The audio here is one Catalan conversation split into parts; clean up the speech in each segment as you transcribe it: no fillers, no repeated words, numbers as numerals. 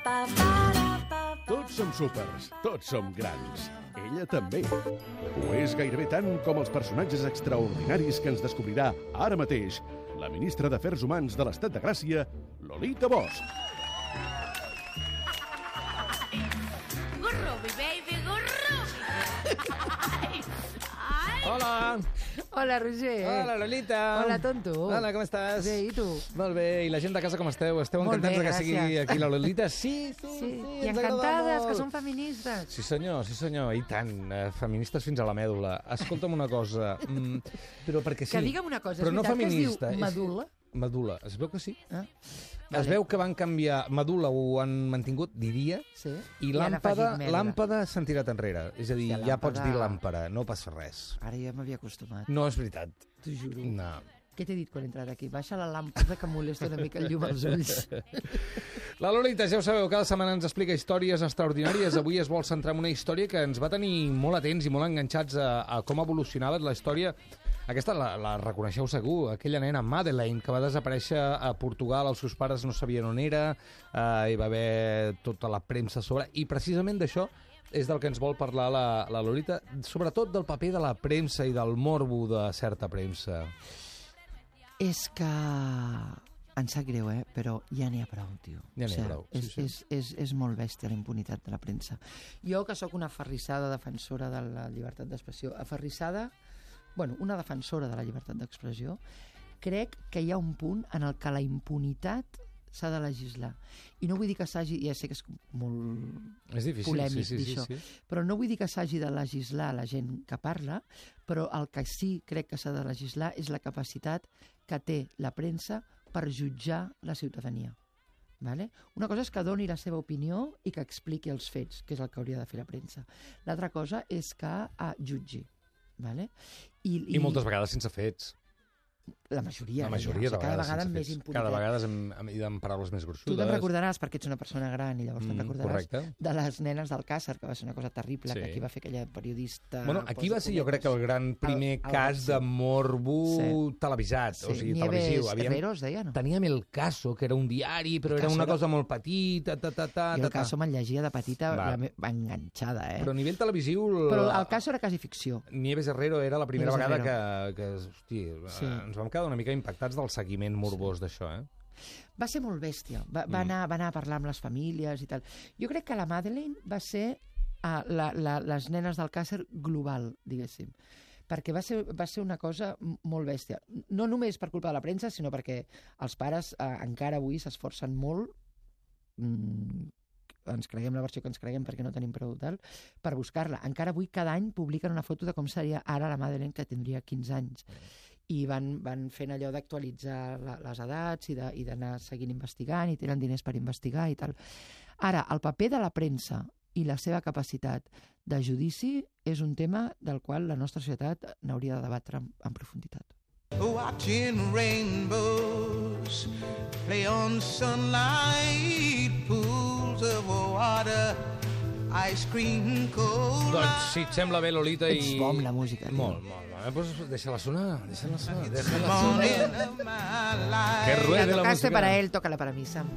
Tots som súpers, tots som grans. Ella també. Ho és gairebé tant com els personatges extraordinaris que ens descobrirà ara mateix la ministra d'Afers Humans de l'Estat de Gràcia, Lolita Bosch. Gurro, mi baby, gurro! Hola! Hola, Roger. Hola, Lolita. Hola, tonto. Hola, com estàs? Bé, i tu? Molt bé, i la gent de casa com esteu? Esteu Molt encantats bé, que sigui gràcies. aquí la Lolita? Sí, I ens agrada encantades, molt. que són feministes. Sí senyor, i tant, feministes fins a la mèdula. Escolta'm una cosa, però perquè sí. Que digue'm una cosa, però és no veritat feminista, que es diu medul·la? Medul·la, es veu que sí. Ah, Es veu que van canviar, medul·la ho han mantingut, diria, sí. i han afegit medul·la. làmpada s'han tirat enrere. És a dir, Hòstia, ja pots làmpada- dir làmpara, no passa res. Ara ja m'havia acostumat, No és veritat. t'ho juro. No. Què t'he dit quan he entrat aquí? Baixa la làmpada que molesta una mica el llum als ulls. La Lolita, ja ho sabeu, cada setmana ens explica històries extraordinàries. Avui es vol centrar en una història que ens va tenir molt atents i molt enganxats a com evolucionava la història. Aquesta la reconeixeu segur, aquella nena Madeleine, que va desaparèixer a Portugal, els seus pares no sabien on era, hi va haver tota la premsa a sobre, i precisament d'això és del que ens vol parlar la Lolita, sobretot del paper de la premsa i del morbo de certa premsa. És que... Em sap greu, però ja n'hi ha prou, tio. Ja n'hi ha prou, sí. És molt bèstia la impunitat de la premsa. Jo, que sóc una aferrissada defensora de la llibertat d'expressió, una defensora de la llibertat d'expressió, crec que hi ha un punt en el que la impunitat s'ha de legislar. I no vull dir que s'hagi... Ja sé que és molt És difícil, polèmic sí. dir això, però no vull dir que s'hagi de legislar la gent que parla, però el que sí crec que s'ha de legislar és la capacitat que té la premsa per jutjar la ciutadania. Vale? Una cosa és que doni la seva opinió i que expliqui els fets, que és el que hauria de fer la premsa. L'altra cosa és que jutgi. Vale? I moltes vegades sense fets. La majoria. La majoria de cada vegades vegada amb sense més fets. impunitat. Cada vegada amb paraules més gruixudes. Tu te'n recordaràs, perquè ets una persona gran i llavors te'n recordaràs, correcte. de les nenes d'Alcàsser, que va ser una cosa terrible, Sí. que aquí va fer aquella periodista... Bueno, aquí va ser, jo crec, que el gran primer cas de morbo televisat, o sigui, televisiu. Nieves Herrero, es deia, no? Teníem El Caso, que era un diari, però era una cosa molt petita, Jo El Caso me'n llegia de petita, enganxada, Però a nivell televisiu... Però El Caso era quasi ficció. Nieves Herrero era la primera Nieves vegada que hosti, ens vam quedar una mica impactats del seguiment morbós d'això, Va ser molt bèstia. Va anar a parlar amb les famílies i tal. Jo crec que la Madeleine va ser les nenes d'Alcàsser global, diguéssim. Perquè va ser una cosa molt bèstia. No només per culpa de la premsa, sinó perquè els pares encara avui s'esforcen molt, ens creguem la versió que ens creguem perquè no tenim prou tal, per buscar-la. Encara avui cada any publiquen una foto de com seria ara la Madeleine, que tindria 15 anys. I van fent allò d'actualitzar les edats i d'anar seguint investigant, i tenen diners per investigar i tal. Ara, el paper de la premsa i la seva capacitat de judici és un tema del qual la nostra societat n'hauria de debatre en profunditat. Watching rainbows play on sunlight, pools of water, ice cream cold. Doncs si et sembla bé, Lolita, Ets bo amb la música, tio. Molt. Doncs deixa-la sonar. Morning of my life. Que ruede la Tocaste música. para él, tócala para mí, Sam.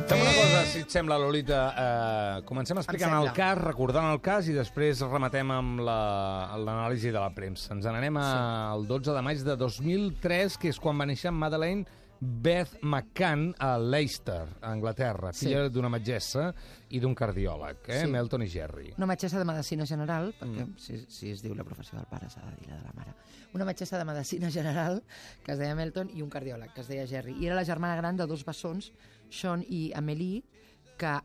Fem una cosa, si et sembla, Lolita. Comencem explicant Em el sembla. cas, recordant el cas, i després rematem amb l'anàlisi de la premsa. Ens n'anem al 12 de maig de 2003, que és quan va néixer Madeleine Beth McCann a Leicester, a Anglaterra, filla d'una metgessa i d'un cardiòleg, Melton i Gerry. Una metgessa de medicina general, perquè si es diu la professió del pare s'ha de dir la de la mare. Una metgessa de medicina general, que es deia Melton, i un cardiòleg, que es deia Gerry. I era la germana gran de dos bessons, Sean i Amélie, que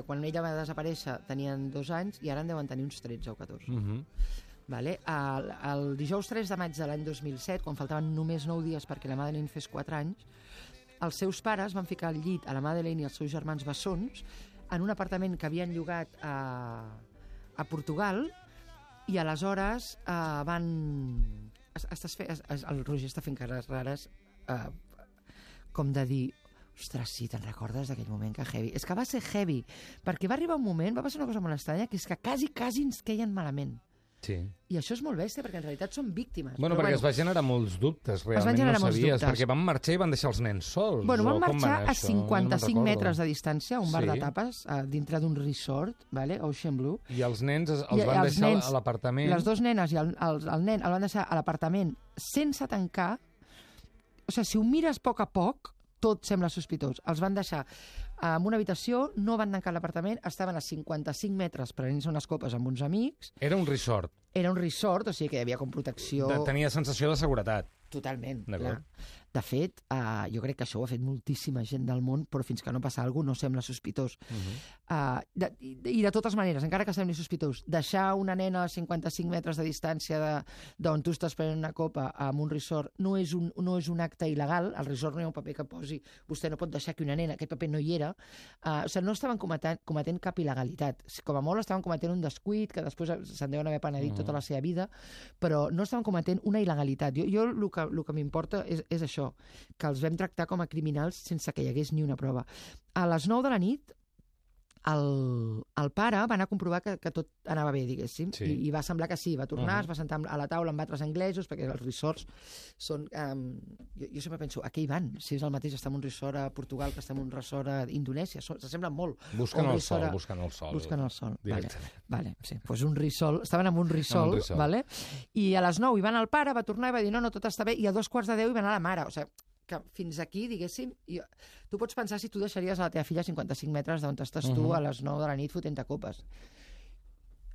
quan ella va desaparèixer tenien 2 anys i ara en deuen tenir uns 13 o 14. Vale? El dijous 3 de maig de l'any 2007, quan faltaven només 9 dies perquè la Madeleine fes 4 anys, els seus pares van ficar al llit a la Madeleine i els seus germans bessons en un apartament que havien llogat a Portugal, i aleshores el Roger està fent cares rares com de dir, ostres, sí, te'n recordes d'aquell moment que heavy? És que va ser heavy, perquè va arribar un moment, va passar una cosa molt estranya, que és que quasi ens queien malament. Sí. I això és molt bèstia, perquè en realitat són víctimes. Bueno, però, perquè es va generar molts dubtes, realment van generar no molts sabies, dubtes. perquè van marxar i van deixar els nens sols. Bueno, van o com marxar anar a això? 55 Jo no metres recordo. de distància, a un bar Sí. de tapes, dintre d'un resort, vale? Ocean Blue. I els nens els I van els deixar nens, a l'apartament. Les dues nenes i el nen el van deixar a l'apartament sense tancar. O sigui, si ho mires a poc, tot sembla sospitós. Els van deixar en una habitació, no van tancar l'apartament, estaven a 55 metres prenent-se unes copes amb uns amics. Era un resort. Era un resort, o sigui que hi havia com protecció... Tenia sensació de seguretat. Totalment. D'acord. De fet, jo crec que això ho ha fet moltíssima gent del món, però fins que no passa alguna cosa no sembla sospitós. I de totes maneres, encara que sembli sospitós, deixar una nena a 55 metres de distància d'on tu estàs prenent una copa en un resort no és un acte il·legal. Al resort no hi ha un paper que posi vostè no pot deixar que una nena, aquest paper no hi era. O sigui, no estaven cometent cap il·legalitat. Com a molt estaven cometent un descuit, que després se'n deuen haver penedit tota la seva vida, però no estaven cometent una il·legalitat. Jo el que m'importa és això, que els vam tractar com a criminals sense que hi hagués ni una prova. A les 9 de la nit, el pare va anar a comprovar que tot anava bé, diguéssim, Sí. i va semblar que sí, va tornar, es va sentar a la taula amb altres anglesos, perquè els resorts són... jo sempre penso, a què hi van? Si és el mateix estar en un resort a Portugal que estar en un resort a Indonèsia, s'assemblen molt. Busquen Un el sol, resort busquen el sol. Busquen el sol, Directament. vale, sí. Pues un risol, estaven en un risol, risol. vale? I a les 9 hi van el pare, va tornar i va dir no, tot està bé, i a 2:15 hi va anar la mare, o sigui, que fins aquí, diguéssim, tu pots pensar si tu deixaries a la teva filla a 55 metres d'on estàs tu a les 9 de la nit fotent-te copes.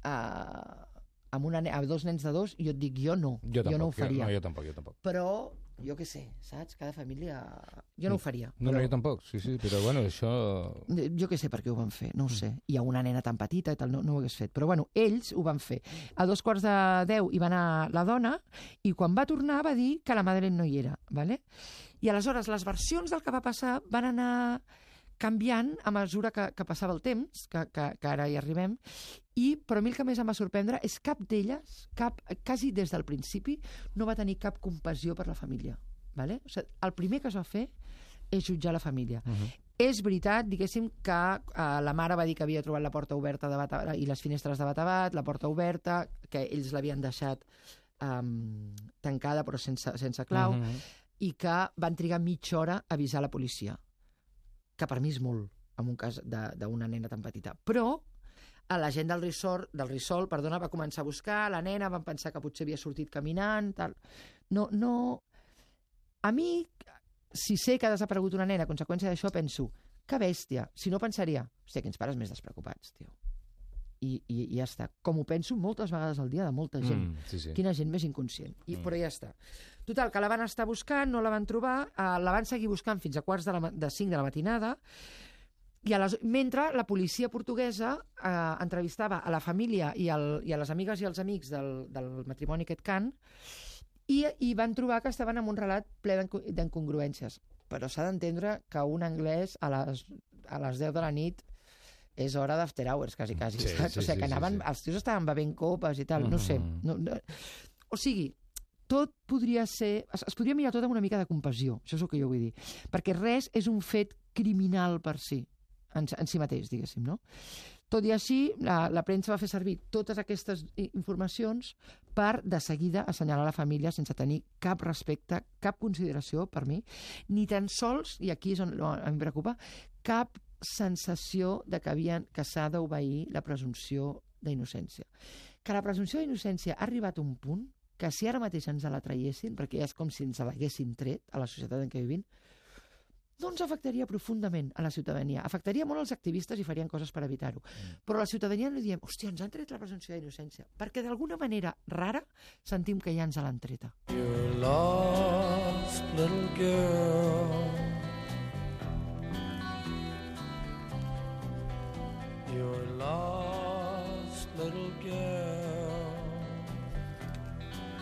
Amb dos nens de 2, jo et dic, jo no ho faria. Jo tampoc. Però, jo què sé, saps? Cada família... Jo no ho faria. No, jo tampoc, sí, però bueno, això... Jo què sé per què ho van fer, no ho sé. Hi ha una nena tan petita i tal, no ho hagués fet. Però bueno, ells ho van fer. A 2:15 hi va anar la dona i quan va tornar va dir que la Madeleine no hi era, ¿vale? I aleshores les versions del que va passar van anar canviant a mesura que passava el temps, que ara hi arribem, però a mi el que més em va sorprendre és cap d'elles, quasi des del principi, no va tenir cap compassió per la família. ¿Vale? O sigui, el primer que es va fer és jutjar la família. És veritat, diguéssim, que la mare va dir que havia trobat la porta oberta de bat i les finestres de bat a bat, la porta oberta, que ells l'havien deixat tancada però sense clau, i que van trigar mitja hora a avisar la policia, que per mi és molt, en un cas d'una nena tan petita. Però la gent del resort, va començar a buscar la nena, van pensar que potser havia sortit caminant, tal. No... A mi, si sé que ha desaparegut una nena a conseqüència d'això, penso, que bèstia. Si no pensaria, hòstia, quins pares més despreocupats, tio. I ja està. Com ho penso moltes vegades al dia de molta gent. Sí. Quina gent més inconscient. Però ja està. Total, que la van estar buscant, no la van trobar, la van seguir buscant fins a 4:45 de la matinada, i mentre la policia portuguesa entrevistava a la família i a les amigues i els amics del matrimoni aquest Can, i van trobar que estaven en un relat ple d'incongruències. Però s'ha d'entendre que un anglès a les 10 de la nit és hora d'after hours, quasi. O sigui, que els tios estaven bevent copes i tal, no sé. O sigui, tot podria ser... Es podria mirar tot amb una mica de compassió, això és el que jo vull dir. Perquè res és un fet criminal per si, en si mateix, diguéssim, no? Tot i així, la premsa va fer servir totes aquestes informacions per, de seguida, assenyalar la família sense tenir cap respecte, cap consideració per mi, ni tan sols, i aquí és on em preocupa, cap sensació de que s'ha d'obeir la presumpció d'innocència. Que la presumpció d'innocència ha arribat a un punt que si ara mateix ens la traiessin, perquè ja és com si ens l'haguessin tret a la societat en què vivim, no ens afectaria profundament a la ciutadania. Afectaria molt als activistes i farien coses per evitar-ho. Però a la ciutadania no diem, hòstia, ens han tret la presumpció d'innocència, perquè d'alguna manera rara sentim que ja ens l'han treta. You're lost, little girl. You're lost, little girl.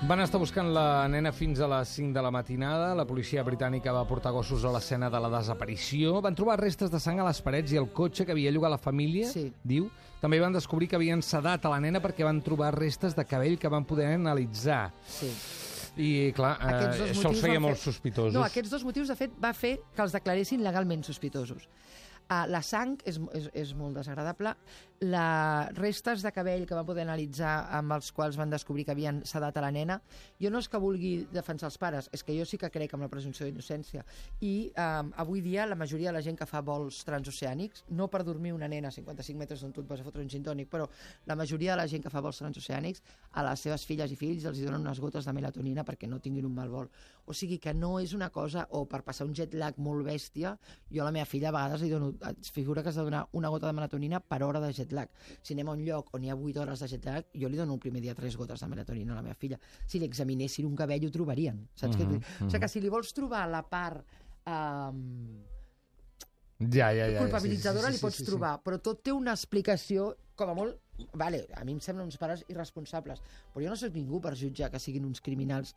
Van estar buscant la nena fins a les 5 de la matinada. La policia britànica va portar gossos a l'escena de la desaparició. Van trobar restes de sang a les parets i el cotxe que havia llogat la família, diu. També van descobrir que havien sedat a la nena perquè van trobar restes de cabell que van poder analitzar. Sí. I, clar, això els feia molt sospitosos. No, aquests dos motius, de fet, va fer que els declaressin legalment sospitosos. La sang és molt desagradable. Les restes de cabell que van poder analitzar amb els quals van descobrir que havien sedat a la nena, jo no és que vulgui defensar els pares, és que jo sí que crec en la presumpció d'innocència. I avui dia la majoria de la gent que fa vols transoceànics, no per dormir una nena a 55 metres d'on tu et vas a fotre un gin tònic, però la majoria de la gent que fa vols transoceànics, a les seves filles i fills els donen unes gotes de melatonina perquè no tinguin un mal vol. O sigui que no és una cosa, o per passar un jet lag molt bèstia, jo a la meva filla a vegades li dono, es figura que has de donar una gota de melatonina per hora de jet lag. Si anem a un lloc on hi ha 8 hores de jet lag, jo li dono el primer dia 3 gotes de melatonina a la meva filla. Si li examinessin un cabell ho trobarien, saps què vull dir? O sigui que si li vols trobar la part culpabilitzadora li pots trobar, però tot té una explicació, com a molt, vale, a mi em semblen uns pares irresponsables, però jo no soc ningú per jutjar que siguin uns criminals,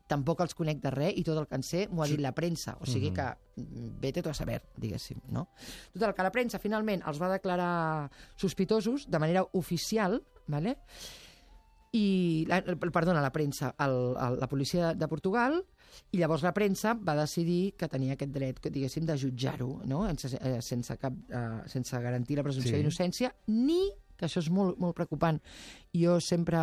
tampoc els conec de res i tot el que en sé m'ho ha dit la premsa, o sigui que vete tu a saber, diguéssim, no? Total, que la premsa finalment els va declarar sospitosos de manera oficial, vale? I, perdona, la premsa, la policia de Portugal, i llavors la premsa va decidir que tenia aquest dret, diguéssim, de jutjar-ho, no? Sense garantir la presumpció d'innocència, ni, que això és molt, molt preocupant, jo sempre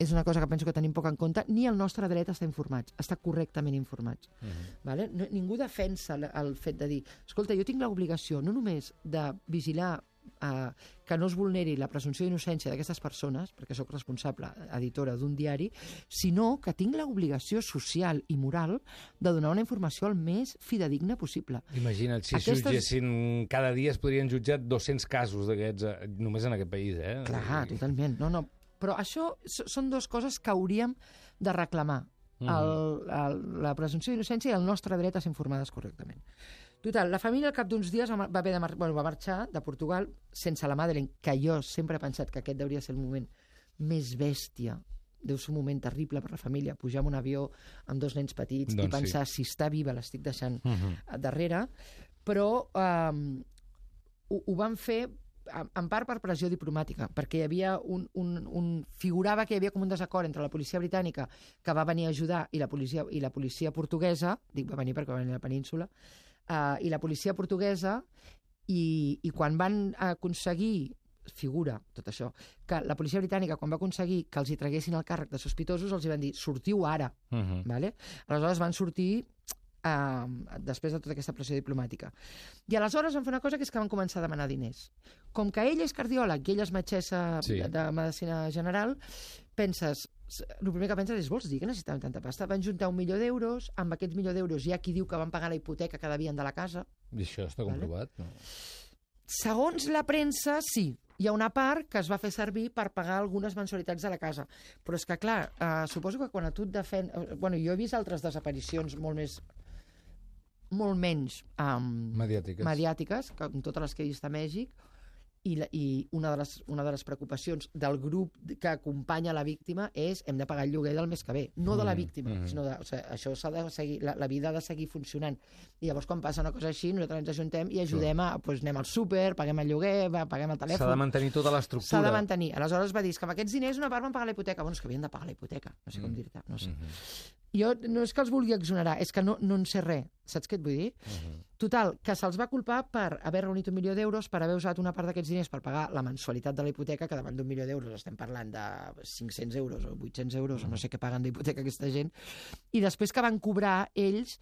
és una cosa que penso que tenim poc en compte, ni el nostre dret a estar informats, a estar correctament informats. Vale? Ningú defensa el fet de dir, escolta, jo tinc l'obligació no només de vigilar que no es vulneri la presumpció d'innocència d'aquestes persones, perquè sóc responsable, editora d'un diari, sinó que tinc l'obligació social i moral de donar una informació el més fidedigna possible. Imagina't, si jutgessin cada dia es podrien jutjar 200 casos d'aquests només en aquest país, eh? Clar, totalment. No. Però això són dues coses que hauríem de reclamar. La presumpció d'innocència i el nostre dret a ser informades correctament. Total, la família al cap d'uns dies va marxar de Portugal sense la Madeleine, que jo sempre he pensat que aquest hauria de ser el moment més bèstia. Deu ser un moment terrible per la família, pujar en un avió amb 2 nens petits i pensar si està viva l'estic deixant darrere. Però ho van fer en part per pressió diplomàtica, perquè hi havia figurava que hi havia com un desacord entre la policia britànica, que va venir a ajudar, i la policia portuguesa, dic va venir perquè va venir a la península, i la policia portuguesa, i quan van aconseguir, figura tot això, que la policia britànica, quan va aconseguir que els hi traguessin el càrrec de sospitosos, els hi van dir, sortiu ara. Vale? Aleshores van sortir després de tota aquesta pressió diplomàtica. I aleshores van fer una cosa, que és que van començar a demanar diners. Com que ell és cardiòleg i ella és metgessa de medicina general, penses, el primer que penses és, vols dir que necessitaven tanta pasta? Van juntar 1 milió d'euros, amb aquests 1 milió d'euros hi ha qui diu que van pagar la hipoteca que devien de la casa. I això està comprovat? No? Segons la premsa, sí. Hi ha una part que es va fer servir per pagar algunes mensualitats de la casa. Però és que, clar, suposo que quan a tu et defèn... Bueno, jo he vist altres desaparicions molt menys mediàtiques, com totes les que he vist a Mèxic, i una de les preocupacions del grup que acompanya la víctima és hem de pagar el lloguer del mes que ve, no de la víctima, sinó això s'ha de seguir, la vida ha de seguir funcionant. I llavors quan passa una cosa així nosaltres ens ajuntem i ajudem anem al súper, paguem el lloguer, paguem el telèfon. S'ha de mantenir tota l'estructura. S'ha de mantenir. Aleshores va dir que amb aquests diners una part van pagar la hipoteca. Bueno, és que havien de pagar la hipoteca, no sé com dir-te, no sé. Jo no és que els vulgui exonerar, és que no en sé res. Saps què et vull dir? Total, que se'ls va culpar per haver reunit 1 milió d'euros, per haver usat una part d'aquests diners per pagar la mensualitat de la hipoteca, que davant d'1 milió d'euros estem parlant de 500 euros o 800 euros, o no sé què paguen d'hipoteca aquesta gent, i després que van cobrar ells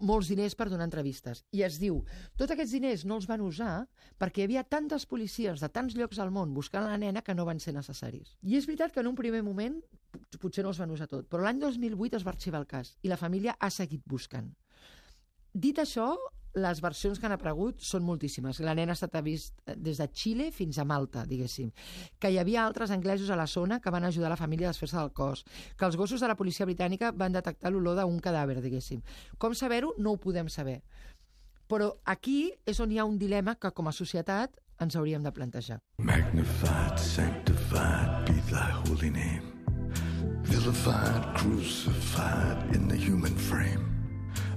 molts diners per donar entrevistes. I es diu, tots aquests diners no els van usar perquè hi havia tantes policies de tants llocs al món buscant la nena que no van ser necessaris. I és veritat que en un primer moment potser no els van usar tot, però l'any 2008 es va arxivar el cas i la família ha seguit buscant. Dit això, les versions que han aparegut són moltíssimes. La nena ha estat vist des de Xile fins a Malta, diguéssim. Que hi havia altres anglesos a la zona que van ajudar la família a desfer-se del cos. Que els gossos de la policia britànica van detectar l'olor d'un cadàver, diguéssim. Com saber-ho? No ho podem saber. Però aquí és on hi ha un dilema que com a societat ens hauríem de plantejar. Magnified, sanctified be thy holy name. Vilified, crucified in the human frame.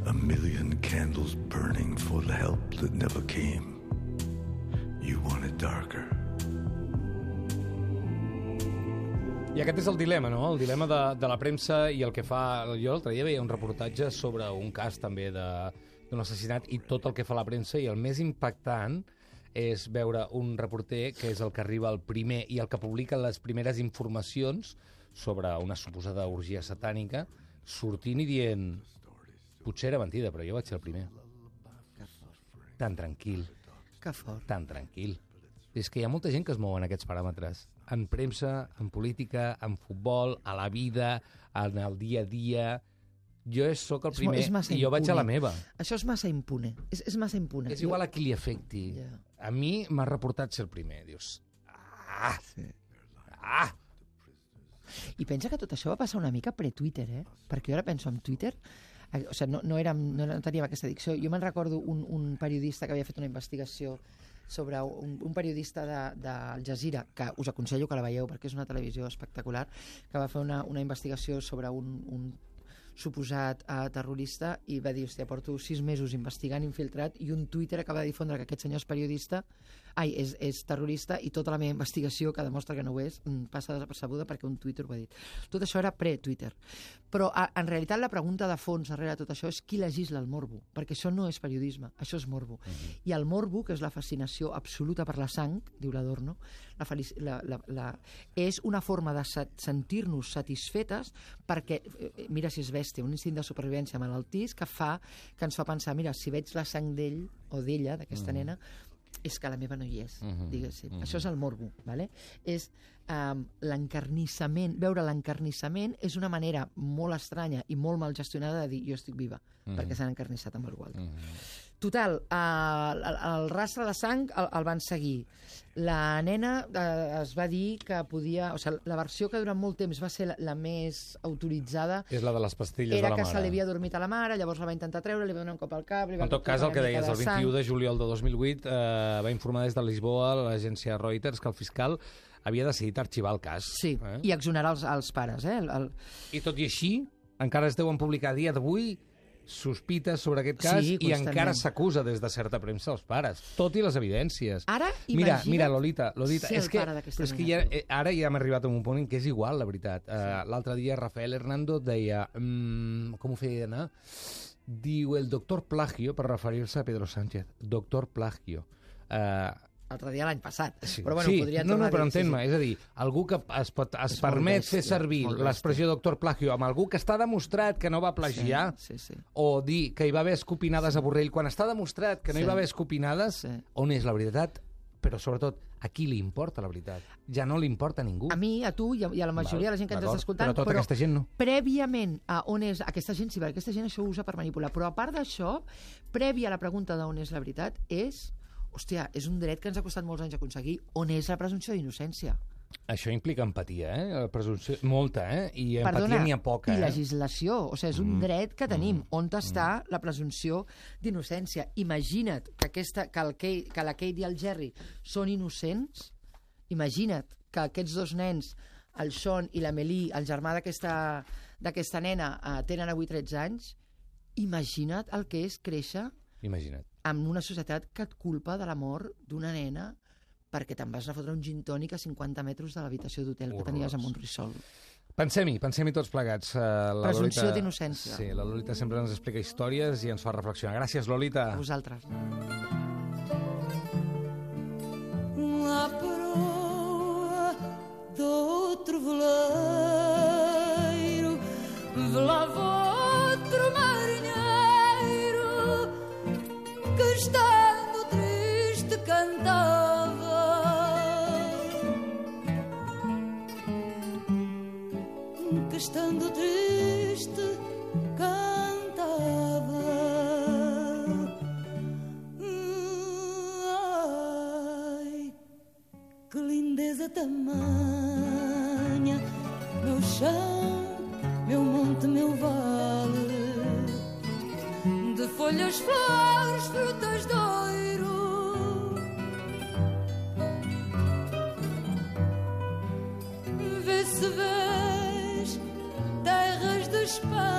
A million candles burning for the help that never came. You want it darker. I aquest és el dilema, no? El dilema de la premsa i el que fa... Jo l'altre dia veia un reportatge sobre un cas també d'un assassinat i tot el que fa la premsa, i el més impactant és veure un reporter que és el que arriba el primer i el que publica les primeres informacions sobre una suposada orgia satànica, sortint i dient potser era mentida, però jo vaig ser el primer. Tan tranquil. Que fort. Tan tranquil. És que hi ha molta gent que es mou en aquests paràmetres. En premsa, en política, en futbol, a la vida, en el dia a dia. Jo sóc el primer i jo vaig a la meva. Això és massa impune. És massa impune. És igual a qui li afecti. Ja. A mi m'ha reportat ser el primer. Dius, Sí. I pensa que tot això va passar una mica pre-Twitter, Perquè jo ara penso en Twitter, o sigui, no teníem aquesta addicció. Jo me'n recordo un periodista que havia fet una investigació sobre un periodista d'Al Jazeera, que us aconsello que la veieu perquè és una televisió espectacular, que va fer una investigació sobre un suposat terrorista i va dir, hòstia, porto 6 mesos investigant infiltrat i un Twitter acaba de difondre que aquest senyor és periodista, és terrorista i tota la meva investigació, que demostra que no ho és, passa desapercebuda perquè un Twitter ho ha dit. Tot això era pre-Twitter. Però en realitat la pregunta de fons darrere de tot això és qui legisla el morbo, perquè això no és periodisme, això és morbo. I el morbo, que és la fascinació absoluta per la sang, diu l'Adorno, és una forma de sentir-nos satisfetes perquè, mira si és bèstia, un instint de supervivència malaltís que ens fa pensar, mira, si veig la sang d'ell o d'ella, d'aquesta nena, és que la meva no hi és, diguéssim. Això és el morbo, ¿vale? És l'encarnissament, veure l'encarnissament és una manera molt estranya i molt mal gestionada de dir jo estic viva, perquè s'han encarnissat amb algú altre. Total, el rastre de sang el van seguir. La nena es va dir que podia... O sigui, la versió que durant molt temps va ser la més autoritzada és la de les pastilles de la era mare. que se li havia dormit a la mare, llavors la va intentar treure, li va donar un cop al cap... En tot cas, el que deies, el 21 de juliol de 2008 va informar des de Lisboa l'agència Reuters que el fiscal havia decidit arxivar el cas. Sí, i exonerar els pares. I tot i així, encara es deuen publicar a dia d'avui sospites sobre aquest cas i encara s'acusa des de certa premsa els pares, tot i les evidències. Ara, mira, Lolita, ser el pare d'aquesta és que ara ja hem arribat a un punt en què és igual, la veritat. L'altre dia Rafael Hernando deia, com ho feia anar? Diu el doctor Plagio, per referir-se a Pedro Sánchez. Doctor Plagio. L'altre dia l'any passat. Sí, però bueno, podria tornar però a dir, entén-me, és a dir, algú que es permet fer servir l'expressió doctor Plagio amb algú que està demostrat que no va plagiar, o dir que hi va haver escopinades a Borrell, quan està demostrat que no hi va haver escopinades, on és la veritat? Però sobretot, a qui li importa la veritat? Ja no li importa a ningú. A mi, a tu i a la majoria de la gent que ens està escoltant, però tota aquesta gent no. Prèviament a on és aquesta gent, sí, perquè aquesta gent això ho usa per manipular, però a part d'això, prèvia a la pregunta d'on és la veritat, hòstia, és un dret que ens ha costat molts anys aconseguir, on és la presumpció d'innocència. Això implica empatia, presumpció, molta, i empatia n'hi ha poca. I legislació, o sigui, és un dret que tenim. On està la presumpció d'innocència? Imagina't que la Kate i el Jerry són innocents, imagina't que aquests dos nens, el Sean i l'Amélie, el germà d'aquesta nena, tenen avui 13 anys, imagina't el que és créixer en una societat que et culpa de la mort d'una nena perquè te'n vas a fotre un gin tònic a 50 metres de l'habitació d'hotel que tenies a Montrissol. Pensem-hi tots plegats. Presumpció d'innocència. Sí, la Lolita sempre ens explica històries i ens fa reflexionar. Gràcies, Lolita. A vosaltres. La proa d'outro veleiro velava outro marinheiro que estando triste cantava, que estando triste cantava. Ai, que lindeza tamanha, meu chão, meu monte, meu vale, de folhas, flores, frutas de ouro. Vê se vês terras de Espanha